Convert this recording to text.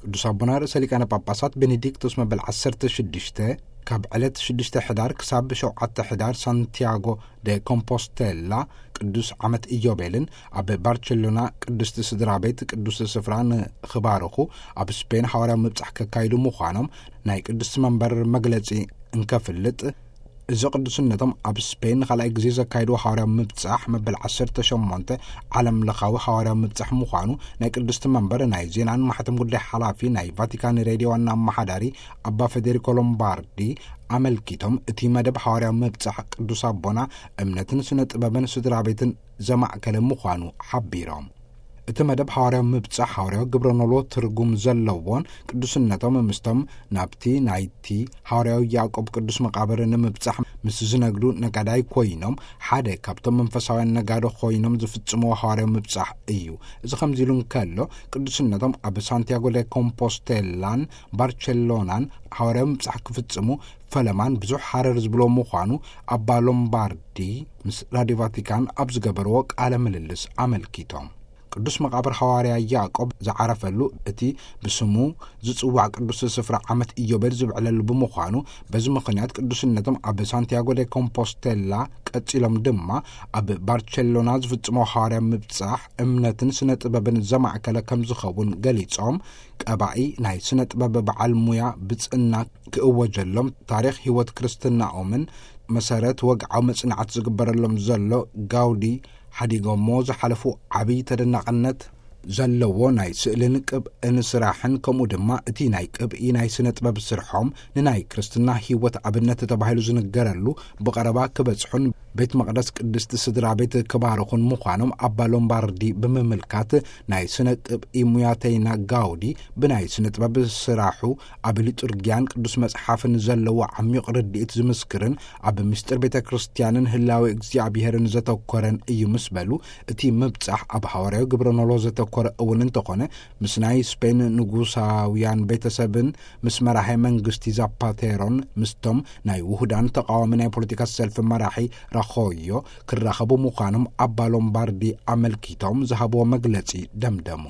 ቅዱስ ኣቦና ርእሰ ሊቃነ ጳጳሳት ቤኔዲክቶስ መበል ዓሰርተ ሽዱሽተ፣ ካብ ዕለት ሽዱሽተ ሕዳር ክሳብ ሸውዓተ ሕዳር ሳንቲያጎ ደ ኮምፖስቴላ ቅዱስ ዓመት ኢዮቤልን ኣብ ባርቸሎና ቅድስቲ ስድራ ቤት ቅዱስ ስፍራ ንኽባርኹ ኣብ ስፔን ሓዋርያዊ ምብጻሕ ከካይዱ ምዃኖም ናይ ቅድስቲ መንበር መግለጺ እንከፍልጥ፣ እዚ ቅዱስነቶም ኣብ ስፔን ንኻልኣይ ግዜ ዘካይድዎ ሓዋርያዊ ምብጻሕ መበል ዓሰርተ ሸሞንተ ዓለም ለኻዊ ሓዋርያዊ ምብጻሕ ምዃኑ ናይ ቅድስቲ መንበር ናይ ዜናን ማሕተም ጉዳይ ሓላፊ ናይ ቫቲካን ሬድዮ ዋና ኣመሓዳሪ ኣባ ፌዴሪኮ ሎምባርዲ ኣመልኪቶም፣ እቲ መደብ ሓዋርያዊ ምብጻሕ ቅዱስ ኣቦና እምነትን ስነ ጥበብን ስድራ ቤትን ዘማእከለ ምዃኑ ሓቢሮም። እቲ መደብ ሓዋርያዊ ምብጻሕ ሓዋርያዊ ግብረ ኖሎ ትርጉም ዘለዎን ቅዱስነቶም ምስቶም ናብቲ ናይቲ ሓዋርያዊ ያዕቆብ ቅዱስ መቓብር ንምብጻሕ ምስ ዝነግዱ ነጋዳይ ኮይኖም ሓደ ካብቶም መንፈሳውያን ነጋዶ ኮይኖም ዝፍጽምዎ ሓዋርያዊ ምብጻሕ እዩ። እዚ ከምዚ ኢሉ እንከሎ ቅዱስነቶም ኣብ ሳንቲያጎ ደ ኮምፖስቴላን ባርቸሎናን ሓዋርያዊ ምብጻሕ ክፍጽሙ ፈለማን ብዙሕ ሃረር ዝብሎ ምዃኑ ኣባ ሎምባርዲ ምስ ራዲዮ ቫቲካን ኣብ ዝገበርዎ ቃለ ምልልስ ኣመልኪቶም። ቅዱስ መቓብር ሓዋርያ ያዕቆብ ዝዓረፈሉ እቲ ብስሙ ዝጽዋዕ ቅዱስ ስፍራ ዓመት ኢዮቤል ዝብዕለሉ ብምዃኑ፣ በዚ ምኽንያት ቅዱስነቶም ኣብ ሳንቲያጎ ደ ኮምፖስቴላ ቀጺሎም ድማ ኣብ ባርቸሎና ዝፍጽሞ ሓዋርያ ምብጻሕ እምነትን ስነ ጥበብን ዘማእከለ ከም ዝኸውን ገሊጾም፣ ቀባኢ ናይ ስነ ጥበብ በዓል ሙያ ብጽእና ክእወጀሎም፣ ታሪኽ ህይወት ክርስትናኦምን መሰረት ወግዓዊ መጽናዕቲ ዝግበረሎም ዘሎ ጋውዲ ሓዲጎሞ ዝሓለፉ ዓብዪ ተደናቕነት ዘለዎ ናይ ስእልን ቅብእን ስራሕን፣ ከምኡ ድማ እቲ ናይ ቅብኢ ናይ ስነ ጥበብ ስርሖም ንናይ ክርስትና ህይወት ኣብነት ተባሂሉ ዝንገረሉ ብቐረባ ክበጽሑን ቤት መቕደስ ቅድስቲ ስድራ ቤት ክባርኹን ምዃኖም ኣባ ሎምባርዲ ብምምልካት፣ ናይ ስነ ቅብኢ ሙያተይና ጋውዲ ብናይ ስነ ጥበብ ስራሑ ኣብ ሊጡርጊያን ቅዱስ መጽሓፍን ዘለዎ ዓሚቕ ርድኢት ዝምስክርን ኣብ ምስጢር ቤተ ክርስቲያንን ህላዌ እግዚኣብሔርን ዘተኮረን እዩ ምስ በሉ፣ እቲ ምብጻሕ ኣብ ሃዋርያዊ ግብረ ኖሎ ዘተኮረ እውን እንተኾነ፣ ምስ ናይ ስፔን ንጉሳውያን ቤተሰብን ምስ መራሒ መንግስቲ ዛፓቴሮን ምስቶም ናይ ውሁዳን ተቃዋሚ ናይ ፖለቲካ ሰልፊ መራሒ ራኾዮ ክራኸቡ ምዃኖም ኣባ ሎምባርዲ ኣመልኪቶም ዝሃብዎ መግለጺ ደምደሙ።